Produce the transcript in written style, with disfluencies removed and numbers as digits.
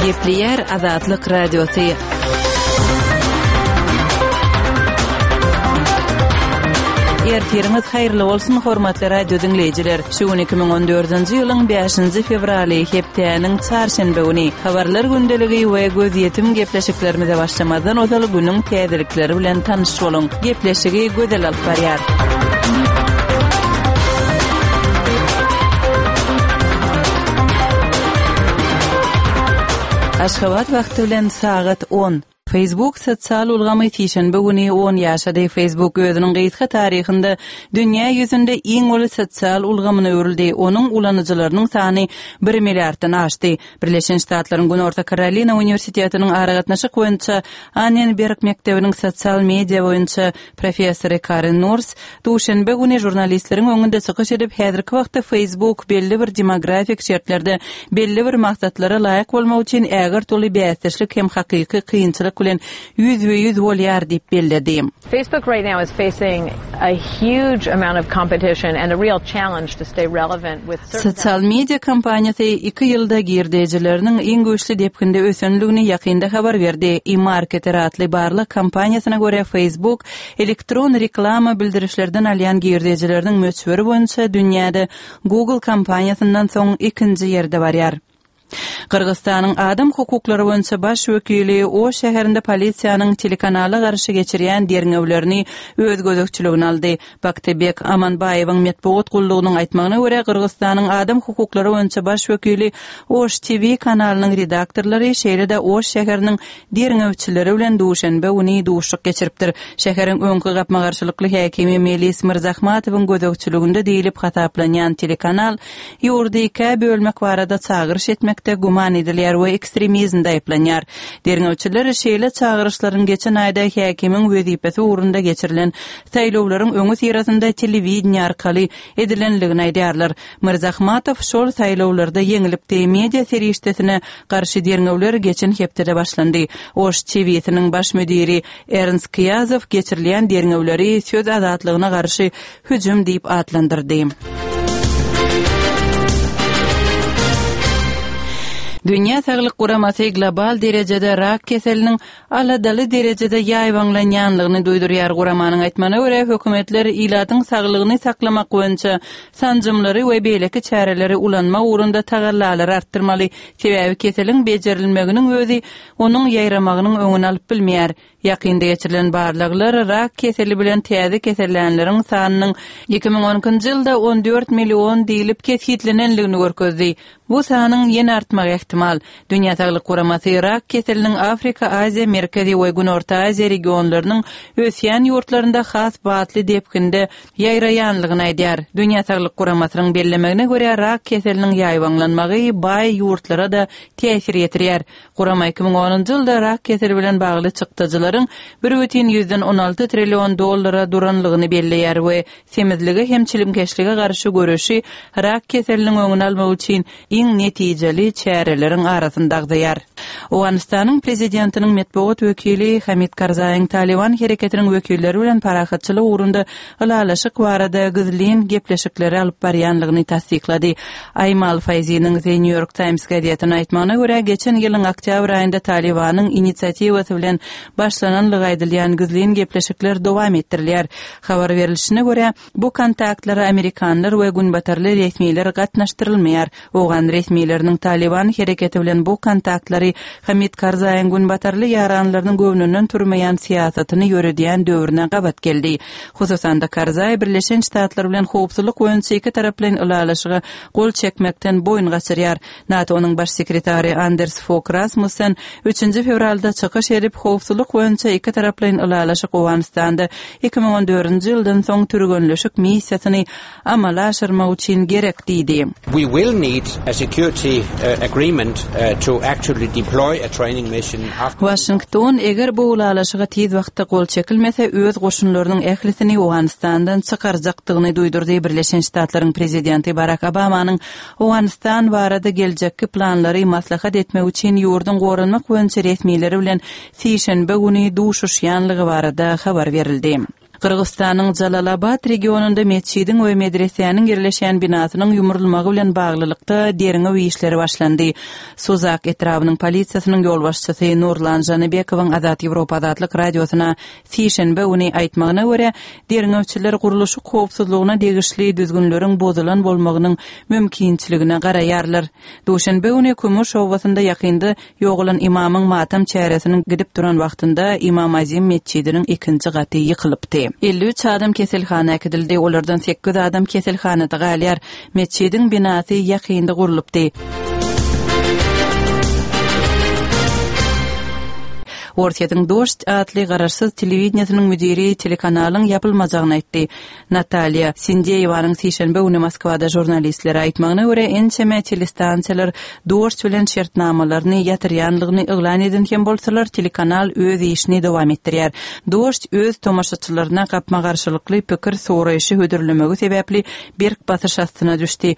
Gepleýär Azatlyk Radiosy. Ertiriňiz haýyrly bolsun, hormatly radio diňleýjiler! Şu gün 2014-nji ýylyň 5-nji fewraly, hepdäniň çarşenbe güni. Habarlar gündeligi we gözýetim gepleşiklerimize başlamazdan ozal günüň täzelikleri bilen tanyş boluň. Gepleşigi Gözel alyp barýar. Aşgabat wagty bilen sagat on. Facebook sosial ulgamy sişenbe güni on ýaşady. Facebook özüniň gysga taryhynda dünýä ýüzünde iň uly sosial ulgamyna öwrüldi, onuň ulanyjylarynyň sany bir milliarddan aşdy. Birleşen Ştatlaryň Günorta Karolina uniwersitetiniň aragatnaşyk boýunça Annenberg mekdebiniň sosial media boýunça professory Karen Nors duşenbe güni žurnalistleriň öňünde çykyş edip, häzirki wagtda Facebook belli bir demografik şertlerde belli bir maksatlara laýyk bolmak üçin ägirt uly bäsdeşlik hem hakyky kynçylyk bilen ýüzbe-ýüz bolýar diýip belledi. Facebook right now is facing a huge amount of competition and a real challenge to stay relevant with certain Sosial media kompaniýasy iki ýylda girdejileriniň iň güýçli depginde ösendigini ýakynda habar berdi. eMarketer atly barlag kompaniýasyna görä, Facebook elektron reklama bildirişlerden alýan girdejileriniň möçberi boýunça dünýäde Google kompaniýasyndan soň ikinji ýerde barýar. Gyrgyzystanyň adam hukuklary boýunça baş wekili Oş şäherinde polisiýanyň telekanala garşy geçirýän derňewlerini öz gözegçiligine aldy. Baktybek Amanbaýewiň metbugat gullugynyň aýtmagyna görä, Gyrgyzystanyň adam hukuklary boýunça baş wekili Oş TV kanalynyň redaktorlary, şeýle-de Oş şäheriniň derňewçileri bilen duşenbe güni duşuşyk geçiripdir. Şäheriň öňki gapma-garşylykly häkimi Melis Myrzahmatowyň gözegçiliginde diýlip hasaplanýan telekanal ýurdy ikä bölmek barada çagyryş etmekde güman edilýär we ekstremizmde aýyplanýar. Derňewçiler şeýle çagyryşlaryň geçen aýda häkimiň wezipesi ugrunda geçirilen saýlawlaryň öňüsyrasynda telewideniýe arkaly edilendigini aýdýarlar. Myrzahmatow şol saýlawlarda ýeňilipdi. Media serişdesine garşy derňewler geçen hepdede başlandy. Oş TW-siniň baş müdiri Ernst Kyýazow geçirilýän derňewleri söz azatlygyna garşy hüjüm diýip atlandyrdy. Dünýä Saglyk Guramasy global derejede rak keseliniň aladaly derejede ýaýbaňlanýanlygyny duýdurýar. Guramanyň aýtmagyna görä, hökümetler ilatyň saglygyny saklamak boýunça sanjymlary we beýleki çäreleri ulanmak ugrunda tagallalary artdyrmaly, sebäbi keseliň bejerilmeginiň özi onuň ýaýramagynyň öňüni alyp bilmeýär. Ýakynda geçirilen barlaglar rak keseli bilen täze kesellänleriň sanynyň 2012-nji ýylda 14 million diýlip kesgitlenendigini görkezdi. Bu sanyň ýene artmagy ähtimal. Dünýä Saglyk Guramasy rak keseliniň Afrika, Aziýa, Merkezi we Günorta Aziýa regionlarynyň ösýän ýurtlarynda has batly depginde ýaýraýanlygyny aýdýar. Dünýä Saglyk Guramasynyň bellemegine görä, rak keseliniň ýaýbaňlanmagy baý ýurtlara-da täsir ýetirýär. Gurama 2010-njy ýylda rak keseli bilen bagly çykdajylaryň bir bütin ýüzden on alty trillion dollara duranlygyny belleýär we semizlige hem çilimkeşlige garşy göreşi rak keseliniň öňüni almak üçin iň netijeli çäreleriň arasynda agzaýar. Owganystanyň prezidentiniň metbugat wekili Hamid Karzaýyň Talyban hereketiniň wekilleri bilen parahatçylyk ugrunda ylalaşyk barada gizlin gepleşikleri alyp barýanlygyny tassyklady. Aýmal Faýziniň The New York Times gazetine aýtmagyna görä, geçen ýylyň oktýabr aýynda Talybanyň inisiatiwasy bilen başlananlygy aýdylýan gizlin gepleşikler dowam etdirilýär. Habar berlişine görä, bu kontaktlara amerikanlar we günbatarly resmiler gatnaşdyrylmaýar. Owgan resmileriniň Talyban hereketi bilen bu kontaktlary Hamid Karzaýyň günbatarly ýaranlarynyň göwnünden turmaýan syýasatyny ýöredýän döwrüne gabat geldi. Hususan-da, Karzaý Birleşen Ştatlar bilen howpsuzlyk boýunça ikitaraplaýyn ylalaşyga gol çekmekden boýun gaçyrýar. NATO-nyň Baş sekretary Anders Fog Rasmussen üçünji fewralda çykyş edip, howpsuzlyk boýunça ikitaraplaýyn ylalaşyk Owganystanda 2014-nji ýyldan soň türgenleşik missiýasyny amala aşyrmak üçin gerek diýdi. We will need a security agreement to actually deploy a training mission after. Waşington, eger bu ylalaşyga tiz wagtda gol çekilmese, öz goşunlarynyň ählisini Owganystandan çykarjakdygyny duýdurdy. Birleşen Ştatlaryň prezidenti Barak Obamanyň Owganystan barada geljekki planlary maslahat etmek üçin ýurduň goranmak boýunça resmileri bilen sişenbe güni duşuşýanlygy barada habar berildi. Gyrgyzystanyň Jalalabat regionynda metjidiň we medresäniň ýerleşýän binasynyň ýumrulmagy bilen baglylykda derňew işleri başlandy. Suzak etrabynyň polisiýasynyň ýolbaşçysy Nurlan Žanybekowyň Azat Ýewropa Azatlyk Radiosyna sişenbe güni aýtmagyna görä, derňewçiler gurluşyk howpsuzlygyna degişli düzgünleriň bozulan bolmagynyň mümkinçiligine garaýarlar. Duşenbe güni Kümüş obasynda ýakynda Ýogalan ymamyň matam çäresiniň gidip duran wagtynda Ymam Azim metjidiniň ikinji gaty ýykylypdy. 53 adam keselhana äkidildi, olardan sekiz adam keselhanada galýar. Metjidiň binasy ýakynda gurlupdy. Orsýetiň Dožd atly garaşsyz telewideniýesiniň müdiri telekanalyň ýapylmajagyny aýtdy. Natalýa Sindeýewanyň sişenbe güni Moskwada žurnalistlere aýtmagyna görä, ençeme telestansiýalar Dožd bilen şertnamalaryny ýatyrýanlygyny yglan eden hem bolsalar, telekanal öz işini dowam etdirýär. Dožd öz tomaşaçylaryna gapma-garşylykly pikir soraýşy hödürlemegi sebäpli berk basyş astyna düşdi.